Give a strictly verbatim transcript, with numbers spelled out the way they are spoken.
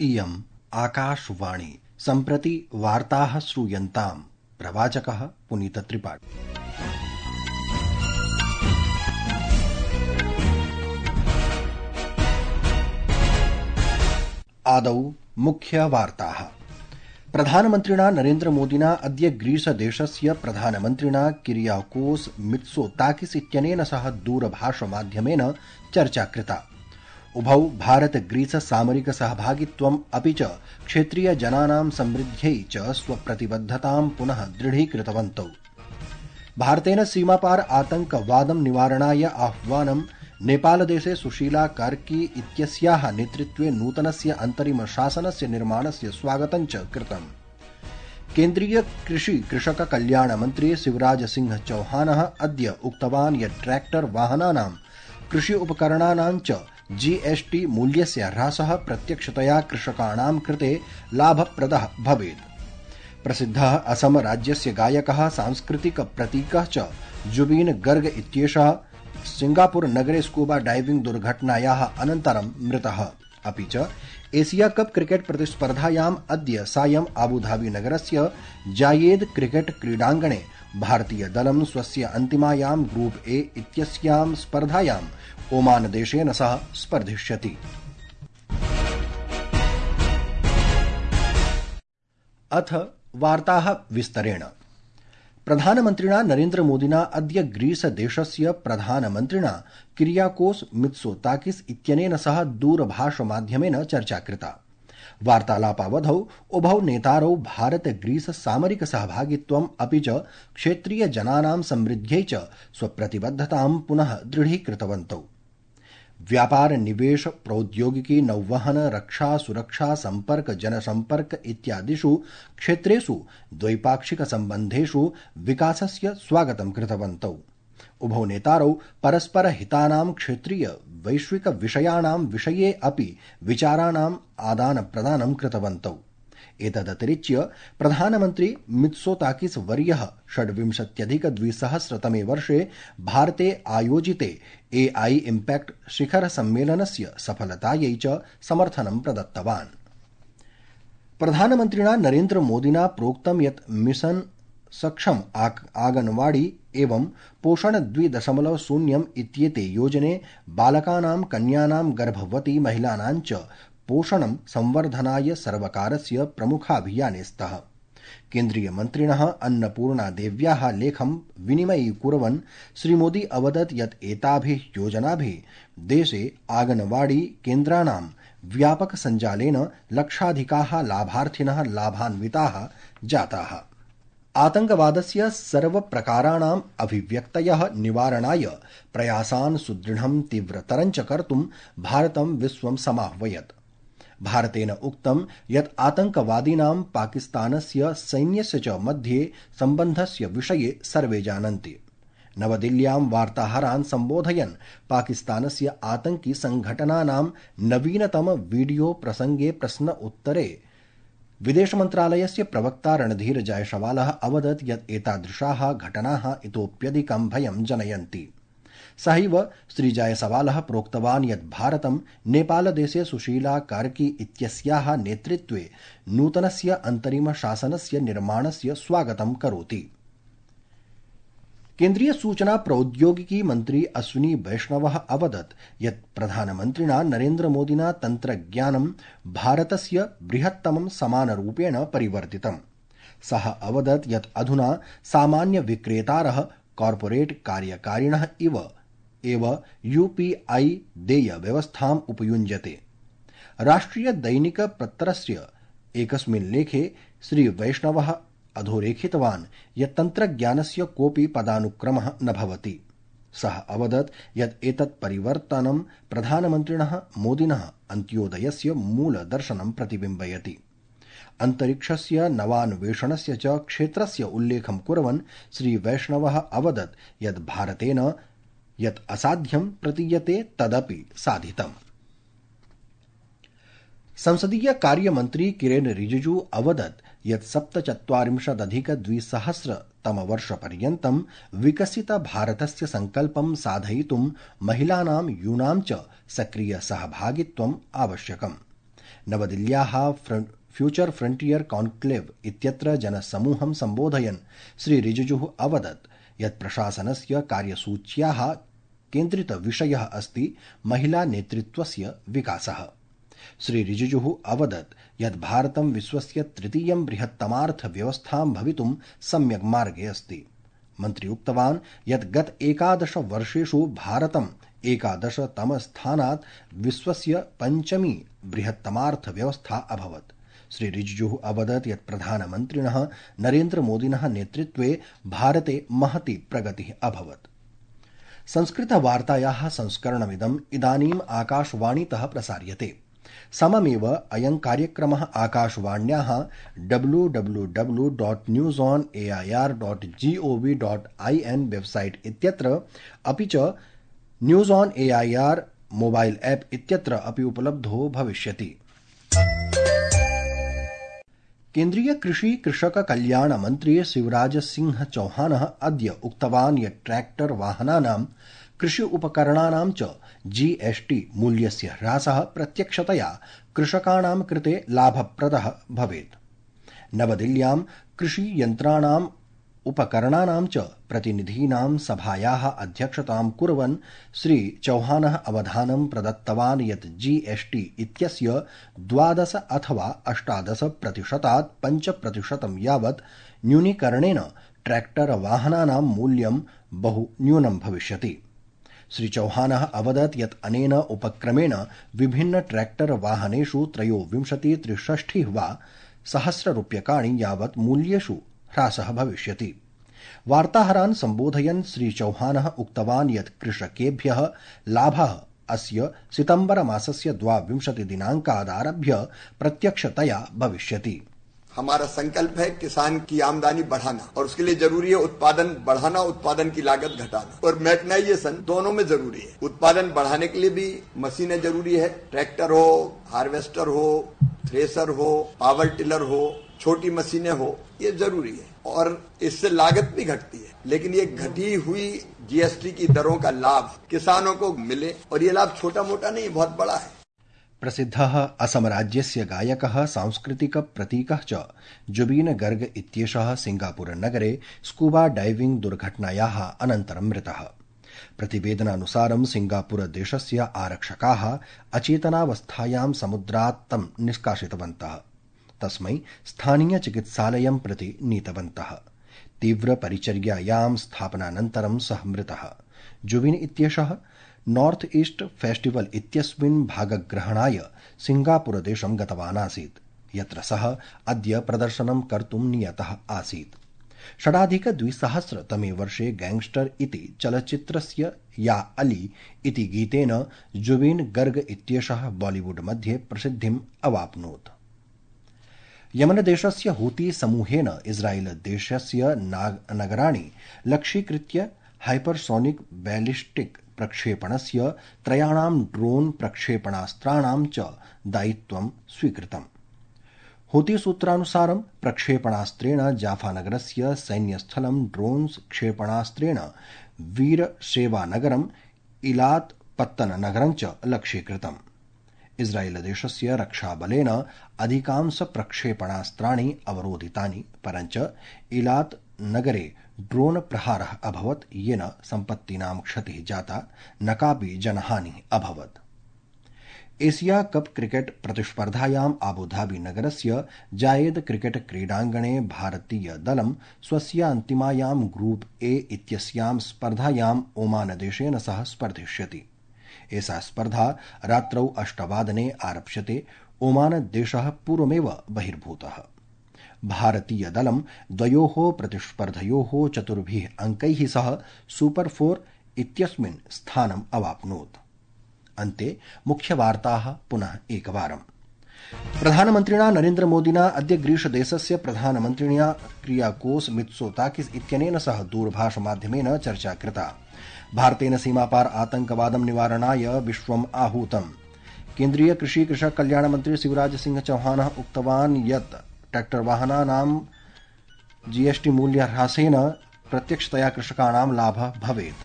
इयम् आकाशवाणी। सम्प्रति वार्ताः श्रूयन्ताम्। प्रवाचकः पुनीतत्रिपाठी। आदौ मुख्यवार्ताः। प्रधानमन्त्रिणा नरेन्द्रमोदिना अद्य ग्रीसदेशस्य प्रधानमन्त्रिणा किरियाकोस मित्सोताकिस इत्यनेन सह दूरभाषमाध्यमेन चर्चा कृता। उभौ भारत ग्रीस सामरिक सहभागित्वम् अपि च क्षेत्रीय जनानां समृद्ध्यै च स्वप्रतिबद्धतां पुनः दृढीकृतवन्तौ। भारतेन सीमापार आतंकवादं निवारणाय आह्वानं नेपालदेशे सुशीला कार्की इत्यस्याः नेतृत्वे नूतनस्य अन्तरिम शासनस्य निर्माणस्य स्वागतं च कृतम्। केन्द्रीय कृषि कृषक कल्याण मन्त्री शिवराज सिंह चौहानः अद्य उक्तवान् यत् ट्रैक्टर वाहनानां कृषि उपकरणानां च जीएसटी मूल्यस्य ह्रासः प्रत्यक्षतया कृषकाणां कृते लाभप्रदः भवेत्। प्रसिद्धः असम राज्यस्य गायकः सांस्कृतिक प्रतीकः च जुबीन गर्ग इत्येषः सिंगापुर नगरे स्कूबा डाइविंग दुर्घटनायाः अनन्तरं मृतः। अपि च एशिया कप क्रिकेट प्रतिस्पर्धायाम् अद्य सायं आबुधाबी नगरस्य जायेद क्रिकेट क्रीडाङ्गणे भारतीय दलं स्वस्य अन्तिमायां ग्रुप ए इत्यस्यां स्पर्धायां ओमान देशेन सह स्पर्धिष्यति। अथ वार्ताः विस्तरेण। प्रधानमन्त्रिणा नरेन्द्रमोदिना अद्य ग्रीसदेशस्य प्रधानमन्त्रिणा किरियाकोस मित्सोताकिस इत्यनेन सह दूरभाषमाध्यमेन चर्चा कृता। वार्तालापावधौ उभौ नेतारौ भारत ग्रीस सामरिक सहभागित्वम् अपि च क्षेत्रीय जनानां समृद्ध्यै च स्वप्रतिबद्धतां पुनः दृढीकृतवन्तौ। व्यापार निवेश प्रौद्योगिकी नौवहन रक्षा सुरक्षा संपर्क जनसंपर्क इत्यादिषु क्षेत्रेषु द्वैपाक्षिक सम्बन्धेषु विकासस्य स्वागतं कृतवन्तौ। उभौ नेतारौ परस्पर हितानां क्षेत्रीय वैश्विक विषयाणां विषये अपि विचाराणाम् आदान प्रदानं कृतवन्तौ। एतदतिरिच्य प्रधानमन्त्री मित्सोताकिस वर्यः षड्विंशत्यधिक द्विसहस्रतमे वर्षे भारते आयोजिते एआई इम्पैक्ट शिखर सम्मेलनस्य सफलतायै च समर्थनं प्रदत्तवान्। प्रधानमन्त्रिणा नरेन्द्र मोदिना प्रोक्तं यत् मिशन सक्षम आंगनवाड़ी एवं पोषण द्वि दशमलव शून्यम् इत्येते योजने बालकानां कन्यानां गर्भवती महिलानां च पोषणं संवर्धनाय सर्वकारस्य प्रमुखाभियाने स्तः। केन्द्रीयमन्त्रिणः अन्नपूर्णा देव्याः लेखं विनिमयीकुर्वन् श्रीमोदी अवदत् यत् एताभिः योजनाभिः देशे आंगनवाड़ी केन्द्राणां व्यापक सञ्जालेन लक्षाधिकाः लाभार्थिनः लाभान्विताः जाताः। आतंकवादस्य सर्वप्रकाराणाम् अभिव्यक्तयः निवारणाय प्रयासान् सुदृढं तीव्रतरं च कर्तुं भारतं विश्वं समाह्वयत्। भारतेन उक्तं यत् आतंकवादिनां पाकिस्तानस्य सैन्यस्य च मध्ये सम्बन्धस्य विषये सर्वे जानन्ति। नवदिल्ल्यां वार्ताहरान् सम्बोधयन् पाकिस्तानस्य आतंकि संघटनानां नवीनतम वीडियो प्रसंगे प्रश्न उत्तरे विदेशमन्त्रालयस्य प्रवक्ता रणधीर जायसवालः अवदत् यत् एतादृशाः घटनाः इतोप्यधिकं भयं जनयन्ति। सहैव श्रीजायसवालः प्रोक्तवान् यत् भारतं नेपालदेशे सुशीला कार्की इत्यस्याः नेतृत्वे नूतनस्य अन्तरिम शासनस्य निर्माणस्य स्वागतं करोति। केन्द्रीय सूचना प्रौद्योगिकी मन्त्री अश्विनी वैष्णवः अवदत् यत् प्रधानमन्त्रिणा नरेन्द्रमोदिना तन्त्रज्ञानं भारतस्य बृहत्तमं समानरूपेण परिवर्तितम्। सः अवदत् यत् अधुना सामान्य विक्रेतारः कॉर्पोरेट कार्यकारिणः इव एव यूपीआई देय व्यवस्थाम् उपयुञ्जते। राष्ट्रिय दैनिक पत्रस्य एकस्मिन् लेखे श्री वैष्णवः अधोरेखितवान् यत् तन्त्रज्ञानस्य कोऽपि पदानुक्रमः न भवति। सः अवदत् यत् एतत् परिवर्तनं प्रधानमन्त्रिणः मोदिनः अन्त्योदयस्य मूलदर्शनं प्रतिबिम्बयति। अन्तरिक्षस्य नवान्वेषणस्य च क्षेत्रस्य उल्लेखं कुर्वन् श्री वैष्णवः अवदत् यत् भारतेन यत् असाध्यं प्रतीयते तदपि साधितम्। संसदीय कार्यमन्त्री किरेन रिजिजू अवदत् यत् सप्तचत्वारिंशदधिकद्विसहस्रतमवर्षपर्यन्तं विकसितभारतस्य सङ्कल्पं साधयितुं महिलानां यूनां च सक्रिय सहभागित्वम् आवश्यकम्। नवदिल्ल्याः फ्यूचर फ्रंटियर कॉन्क्लेव इत्यत्र जनसमूहं सम्बोधयन् श्री रिजिजुः अवदत् यत् प्रशासनस्य कार्यसूच्याः केन्द्रितविषयः अस्ति महिला नेतृत्वस्य विकासः। श्री रिजिजुः अवदत् यत् भारतं विश्वस्य तृतीयं बृहत्तमार्थव्यवस्थां भवितुं सम्यक् मार्गे अस्ति। मन्त्री उक्तवान् यत् गत एकादश वर्षेषु भारतम् एकादशतमस्थानात् विश्वस्य पञ्चमी बृहत्तमार्थव्यवस्था अभवत्। श्री रिजिजुः अवदत् यत् प्रधानमन्त्रिणः नरेन्द्रमोदिनः नेतृत्वे भारते महती प्रगतिः अभवत्। संस्कृतवार्तायाः संस्करणमिदम् इदानीम् आकाशवाणीतः प्रसार्यते। सममेव अयं कार्यक्रमः आकाशवाण्याः W W W dot news on A I R dot G O V dot I N website इत्यत्र अपि च news on A I R mobile app इत्यत्र अपि उपलब्धो भविष्यति। केन्द्रीय कृषि कृषक कल्याण मन्त्री शिवराज सिंह चौहानः अद्य उक्तवान् यत् ट्रैक्टर वाहनानां कृषि उपकरणानां च जीएसटी मूल्यस्य ह्रासः प्रत्यक्षतया कृषकाणां कृते लाभप्रदः भवेत्। नवदिल्ल्यां कृषि यन्त्राणाम् उपकरणानां च प्रतिनिधीनां सभायाः अध्यक्षतां कुर्वन् श्री चौहानः अवधानं प्रदत्तवान् यत् जीएसटी इत्यस्य द्वादश अथवा अष्टादश प्रतिशतात् पञ्च प्रतिशतं यावत् न्यूनीकरणेन ट्रैक्टर वाहनानां मूल्यं बहु न्यूनं भविष्यति। श्री चौहानः अवदत् यत् अनेन उपक्रमेण विभिन्न ट्रैक्टर वाहनेषु त्रयोविंशति त्रिषष्टिः वा सहस्ररूप्यकाणि यावत् मूल्येषु ह्रासः भविष्यति। वार्ताहरान् सम्बोधयन् श्री चौहानः उक्तवान् यत् कृषकेभ्यः लाभः अस्य सितंबर मासस्य द्वाविंशति दिनांकादारभ्य प्रत्यक्षतया भविष्यति। हमारा संकल्प है किसान की आमदनी बढ़ाना और उसके लिए जरूरी है उत्पादन बढ़ाना, उत्पादन की लागत घटाना और मैकेनाइजेशन दोनों में जरूरी है। उत्पादन बढ़ाने के लिए भी मशीनें जरूरी है, ट्रैक्टर हो, हार्वेस्टर हो, थ्रेसर हो, पावर टिलर हो, छोटी मशीनें हो, ये जरूरी है और इससे लागत भी घटती है। लेकिन ये घटी हुई जीएसटी की दरों का लाभ किसानों को मिले और ये लाभ छोटा मोटा नहीं, बहुत बड़ा है। प्रसिद्धः असम राज्यस्य गायकः सांस्कृतिक प्रतीकः च जुबीन गर्ग इत्येषः सिंगापुर नगरे स्कूबा डाइविंग दुर्घटनायाः अनन्तरं मृतः। प्रतिवेदनानुसारं सिंगापुर देशस्य आरक्षकाः अचेतनावस्थायां समुद्रात् तं निष्कासितवन्तः। तस्मै स्थानीय चिकित्सालयं प्रति नीतवन्तः। तीव्र परिचर्यायां स्थापनानन्तरं सः मृतः। जुबिन इत्येषः नॉर्थ ईस्ट फेस्टिवल इत्यस्मिन् भागग्रहणाय सिंगापुरदेशं गतवान् आसीत्, यत्र सः अद्य प्रदर्शनं कर्तुं नियतः आसीत्। षडाधिकद्विसहस्रतमे वर्षे गैंगस्टर इति चलच्चित्रस्य या अली इति गीतेन जुबिन गर्ग इत्येषः बॉलीवुड मध्ये प्रसिद्धिम् अवाप्नोत्। यमनदेशस्य हूती समूहेन इस्राएल देशस्य नगराणि लक्ष्यीकृत्य हाइपरसोनिक बैलिस्टिक प्रक्षेपणस्य त्रयाणां ड्रोन प्रक्षेपणास्त्राणां च दायित्वं स्वीकृतम्। हूती सूत्रानुसारं प्रक्षेपणास्त्रेण जाफानगरस्य सैन्यस्थलं ड्रोन क्षेपणास्त्रेण वीरशेवानगरम् इलात् पत्तननगरं च लक्ष्यीकृतम्। इस्राएलदेशस्य रक्षाबलेन अधिकांश प्रक्षेपणास्त्राणि अवरोधितानि, परञ्च इलात् नगरे ड्रोन प्रहारः अभवत्, येन सम्पत्तीनां क्षतिः जाता, न कापि जनहानिः अभवत्। एशिया कप क्रिकेट प्रतिस्पर्धायाम् आबुधाबी नगरस्य जायेद क्रिकेट क्रीडाङ्गणे भारतीय दलं स्वस्य अन्तिमायां ग्रुप ए इत्यस्यां स्पर्धायाम् ओमानदेशेन सह स्पर्धिष्यति। एषा स्पर्धा रात्रौ अष्टवादने आरप्स्यते। ओमानदेशः पूर्वमेव बहिर्भूतः। भारतीय दलं द्वयोः प्रतिस्पर्धयोः चतुर्भिः अंकैः सह सुपर फोर इत्यस्मिन् स्थानम् अवाप्नोत्। अन्ते मुख्यवार्ताः पुनः एकवारम्। प्रधानमन्त्रिणा नरेन्द्रमोदिना अद्य ग्रीसदेशस्य प्रधानमन्त्रिणा क्रियाकोस मित्सोताकिस इत्यनेन सह दूरभाषमाध्यमेन चर्चा कृता। भारतेन सीमापार आतंकवादं निवारणाय विश्वम् आहूतम्। केन्द्रीय कृषि कृषक कल्याण मन्त्री शिवराज सिंह चौहानः उक्तवान् यत् ट्रैक्टर वाहनानां जीएसटी मूल्यह्रासेन प्रत्यक्षतया कृषकाणां लाभः भवेत्।